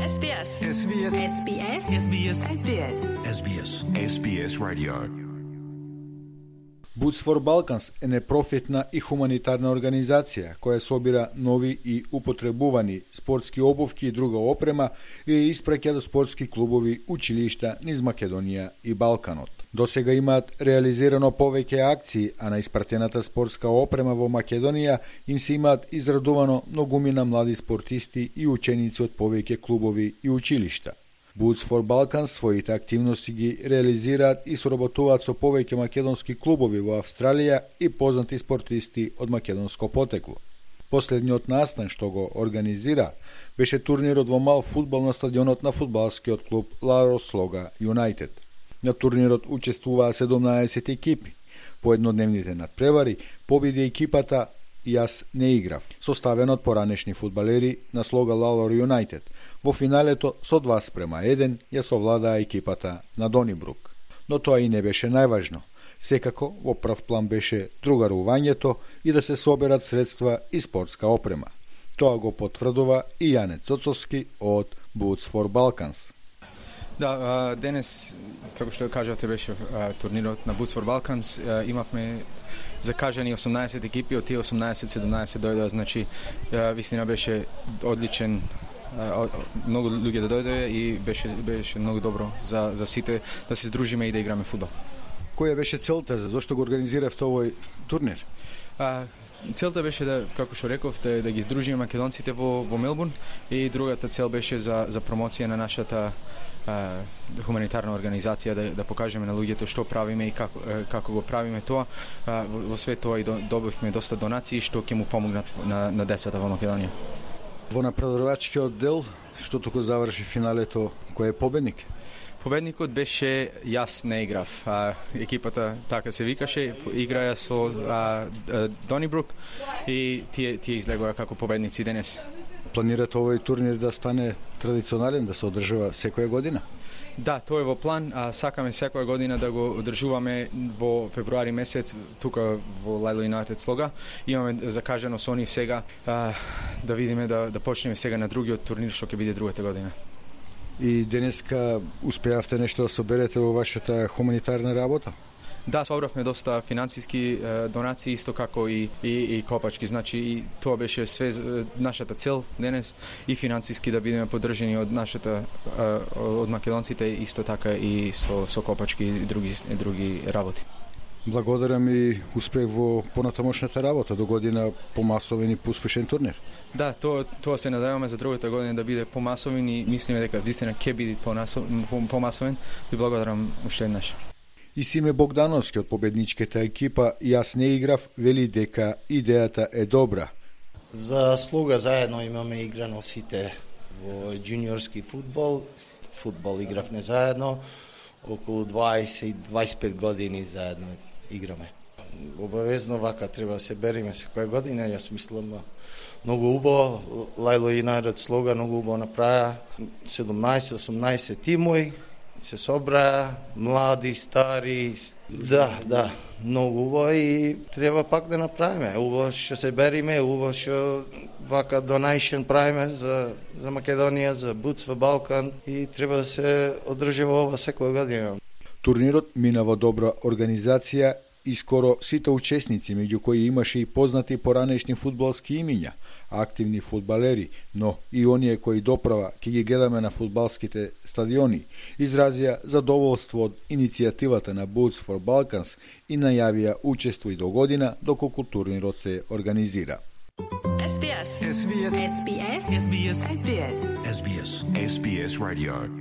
SBS. SBS. SBS. SBS. SBS. SBS. SBS Radio. Boots for Balkans е непрофитна и хуманитарна организација која собира нови и употребувани спортски обувки и друга опрема и ја испраќа до спортски клубови, училишта низ Македонија и Балканот. До сега имаат реализирано повеќе акции, а на испратената спортска опрема во Македонија им се имаат израдувано многумина млади спортисти и ученици од повеќе клубови и училишта. Boots for Balkans своите активности ги реализираат и соработуваат со повеќе македонски клубови во Австралија и познати спортисти од македонско потекло. Последниот настан што го организира беше турнирот во мал фудбал на стадионот на фудбалскиот клуб Ларо Слога Юнайтед. На турнирот учествуваа 17 екипи. По еднодневните надпревари победи екипата Јас не играв, составена од поранешни фудбалери на Слога Ларо Юнайтед. Во финалето со 2:1 ја совладаа екипата на Донибрук. Но тоа и не беше најважно. Секако во прв план беше другарувањето и да се соберат средства и спортска опрема. Тоа го потврдува и Јане Цоцовски од Boots for Balkans. Да, денес, како што кажавте, беше турнирот на Boots for Balkans. Имавме закажани 18 екипи, од тие 18-17 дојдоа, значи вистина беше одличен, многу луѓе да дојдоа и беше многу добро за сите да се здружиме и да играме фудбал. Која беше целта, зашто го организиравте овој турнир? Целта беше да, како што реков, да ги здружиме македонците во Мелбурн и другата цел беше за промоција на нашата хуманитарна организација, да покажеме на луѓето што правиме и како го правиме тоа. Во свет тоа и добивме доста донации што ќе му помогнат на децата во Македонија. Во напредувачкиот дел, што току заврши финалето, кој е победник? Победникот беше Јас не играв. Екипата така се викаше, играја со Донибрук и тие излегоа како победници денес. Планирате овој турнир да стане традиционален, да се одржува секоја година? Да, тоа е во план, сакаме секоја година да го одржуваме во февруари месец тука во Ларо Юнайтед Слога. Имаме закажано со нив сега да видиме да почнеме сега на другиот турнир што ќе биде другата година. И денеска успеавте нешто да соберете во вашата хуманитарна работа? Да, собравме доста финансиски донации, исто како и копачки. Значи, и тоа беше све нашата цел денес, и финансиски да бидеме поддржани од нашата од македонците, исто така и со копачки и други работи. Благодарам и успех во понатамошната работа до година помасовен и поуспешен турнир. Да, тоа се надеваме за другата година да биде помасовен и мислиме дека вистина ќе биде помасовен. Ви благодарам уште еднаш. И Симе Богдановски од победничката екипа Јас не играв вели дека идејата е добра. За Слога заедно имаме играно сите во джуниорски фудбал. Фудбал игравме заедно, околу 20-25 години заедно играме. Обавезно вака треба да се бериме секоја година, јас мислам многу убаво, Ларо Юнайтед Слога многу убаво направи, 17-18 тимови се собраа, млади, стари, да, многу убаво и треба пак да направиме. Убаво што се бериме, убаво што вака донейшн правиме за Македонија, за Boots for Balkans и треба да се одржува ова секоја година. Турнирот мина во добра организација и скоро сите учесници, меѓу кои имаше и познати поранешни фудбалски имиња, активни фудбалери, но и оние кои доправа ќе ги гледаме на фудбалските стадиони, изразија задоволство од иницијативата на Boots for Balkans и најавија учество и до година доколку турнирот се организира. SBS. SBS. SBS. SBS. SBS. SBS Radio.